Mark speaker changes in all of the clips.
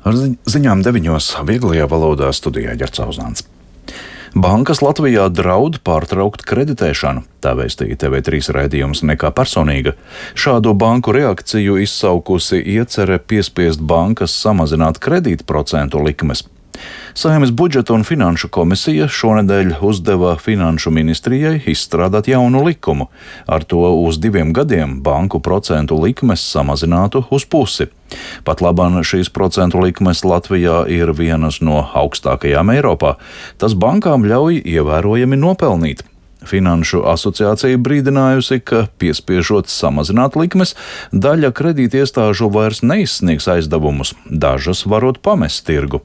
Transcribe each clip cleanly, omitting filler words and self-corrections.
Speaker 1: Ar ziņām 9. vieglajā valodā studijā Ģerts Auzāns. Bankas Latvijā draud pārtraukt kreditēšanu, tā vēstīja TV3 raidījums Nekā personīga. Šādu banku reakciju izsaukusi iecerē piespiest bankas samazināt kredītprocentu likmes. Saeimas budžeta un finanšu komisija šonedēļ uzdeva Finanšu ministrijai izstrādāt jaunu likumu. Ar to uz 2 gadiem banku procentu likmes samazinātu uz pusi. Pat labāk šīs procentu likmes Latvijā ir vienas no augstākajām Eiropā. Tas bankām ļauj ievērojami nopelnīt. Finanšu asociācija brīdinājusi, ka piespiežot samazināt likmes, daļa kredītiestāžu vairs neizsniegs aizdevumus, dažas varot pamest tirgu.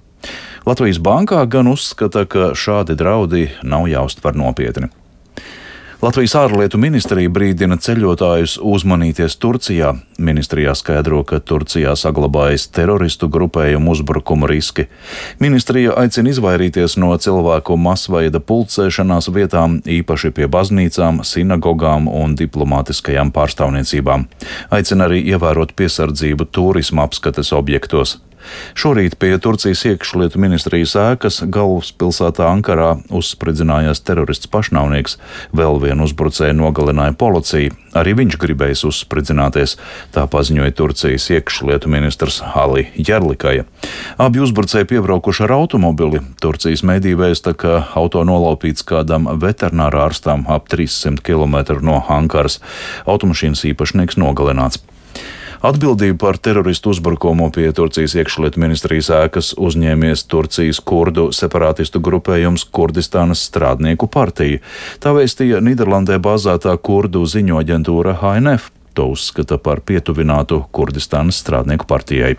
Speaker 1: Latvijas bankā gan uzskata, ka šādi draudi nav jāuztver nopietni. Latvijas ārlietu ministrija brīdina ceļotājus uzmanīties Turcijā. Ministrijā skaidro, ka Turcijā saglabājas teroristu grupējumu uzbrukumu riski. Ministrija aicina izvairīties no cilvēku masveida pulcēšanās vietām, īpaši pie baznīcām, sinagogām un diplomātiskajām pārstāvniecībām. Aicina arī ievērot piesardzību turisma apskates objektos. Šorīt pie Turcijas iekšlietu ministrijas ēkas galvaspilsētā Ankarā uzspridzinājās terorists pašnāvnieks. Vēl vienu uzbrucēju nogalināja policija. Arī viņš gribējis uzspridzināties, tā paziņoja Turcijas iekšlietu ministrs Ali Jerlikaja. Abi uzbrucēji piebraukuši ar automobili. Turcijas mediji vēsta, ka auto nolaupīts kādam veterinārārstam ap 300 km no Ankaras. Automašīnas īpašnieks nogalināts. Atbildību par teroristu uzbrukumu pie Turcijas iekšlietu ministrijas ēkas uzņēmies Turcijas kurdu separātistu grupējums Kurdistānas strādnieku partija. Tā vēstīja Nīderlandē bāzētā kurdu ziņu aģentūra HNF. To uzskata par pietuvinātu Kurdistānas strādnieku partijai.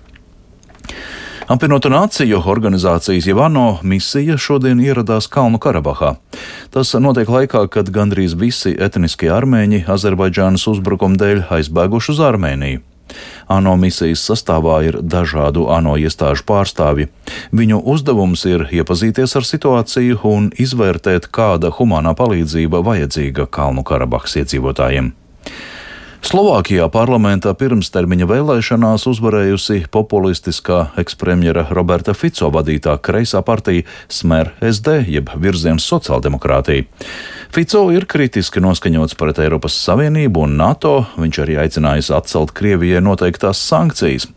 Speaker 1: Apvienoto Nāciju organizācijas ANO misija šodien ieradās Kalnu Karabahā. Tas notiek laikā, kad gandrīz visi etniskie armēņi Azerbaidžānas uzbrukuma dēļ aizbēguši uz Armēniju. ANO misijas sastāvā ir dažādu ANO iestāžu pārstāvji. Viņu uzdevums ir iepazīties ar situāciju un izvērtēt, kāda humānā palīdzība vajadzīga Kalnu Karabahas iedzīvotājiem. Slovākijā parlamentā pirmstermiņa vēlēšanās uzvarējusi populistiskā ekspremjera Roberta Fico vadītā kreisā partija Smer SD, jeb Virziens sociāldemokrātija. Fico ir kritiski noskaņots pret Eiropas Savienību un NATO, viņš arī aicinājis atcelt Krievijai noteiktās sankcijas.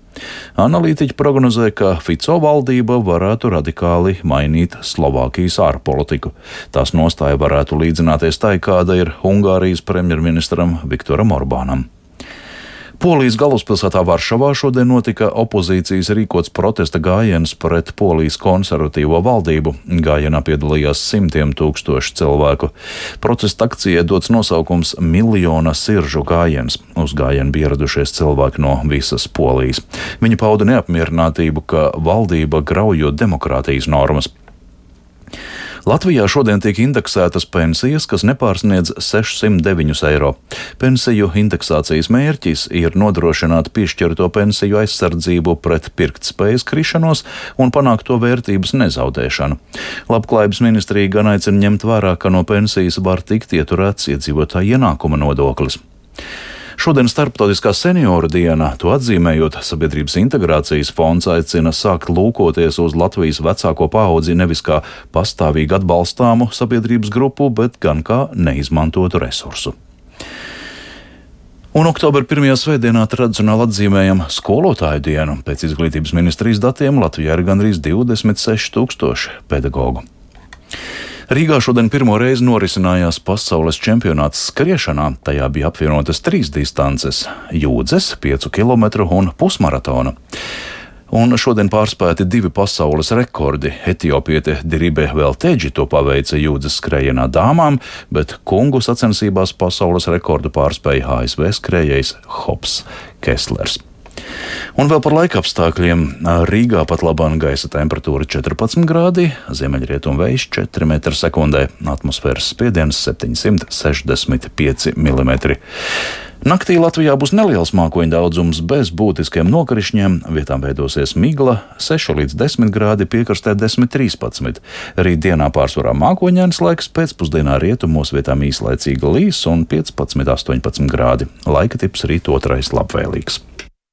Speaker 1: Analītiķi prognozē, ka Fico valdība varētu radikāli mainīt Slovākijas ārpolitiku. Tās nostāja varētu līdzināties tai, kāda ir Ungārijas premjerministram Viktoram Orbānam. Polijas galvaspilsētā Varšavā šodien notika opozīcijas rīkots protesta gājiens pret Polijas konservatīvo valdību. Gājienā piedalījās simtiem tūkstoši cilvēku. Protesta akcijai dots nosaukums Miljona siržu gājiens. Uz gājienu bija ieradušies cilvēki no visas Polijas. Viņi pauda neapmierinātību, ka valdība graujot demokrātijas normas. Latvijā šodien tiek indeksētas pensijas, kas nepārsniedz 609 eiro. Pensiju indeksācijas mērķis ir nodrošināt piešķirto pensiju aizsardzību pret pirktspējas krišanos un panākt to vērtības nezaudēšanu. Labklājības ministrija gan aicina ņemt vērā, ka no pensijas var tikt ieturēts iedzīvotāja ienākuma nodoklis. Šodien Starptautiskā senioru diena, to atzīmējot, Sabiedrības integrācijas fonds aicina sākt lūkoties uz Latvijas vecāko paudzi nevis kā pastāvīgi atbalstāmu sabiedrības grupu, bet gan kā neizmantotu resursu. Un oktobra 1. svētdienā tradicionāli atzīmējam skolotāju dienu. Pēc izglītības ministrijas datiem Latvijā ir gandrīz 26 000 pedagogu. Rīgā šodien pirmo reizi norisinājās pasaules čempionāts skriešanā. Tajā bija apvienotas 3 distances - jūdzes, 5 km un pusmaratona. Un šodien pārspēti 2 pasaules rekordi. Etiopiete Diribe Velteģi to paveica jūdzes skrējienā dāmām, bet kungu sacensībās pasaules rekordu pārspēja ASV skrējējs Hops Kesslers. Un vēl par laika apstākļiem. Rīgā pat labāk gaisa temperatūra 14 grādi, ziemeļrietumu vējš 4 m/sekundē, atmosfēras spiediens 765 mm. Naktī Latvijā būs neliels mākoņu daudzums bez būtiskiem nokrišņiem, vietām veidosies migla 6 līdz 10 grādi, piekrastē 10–13. Rīt dienā pārsvarā mākoņains laiks, pēcpusdienā rietumos vietām īslaicīga līs un 15–18 grādi. Laika tips rīt otrais labvēlīgs.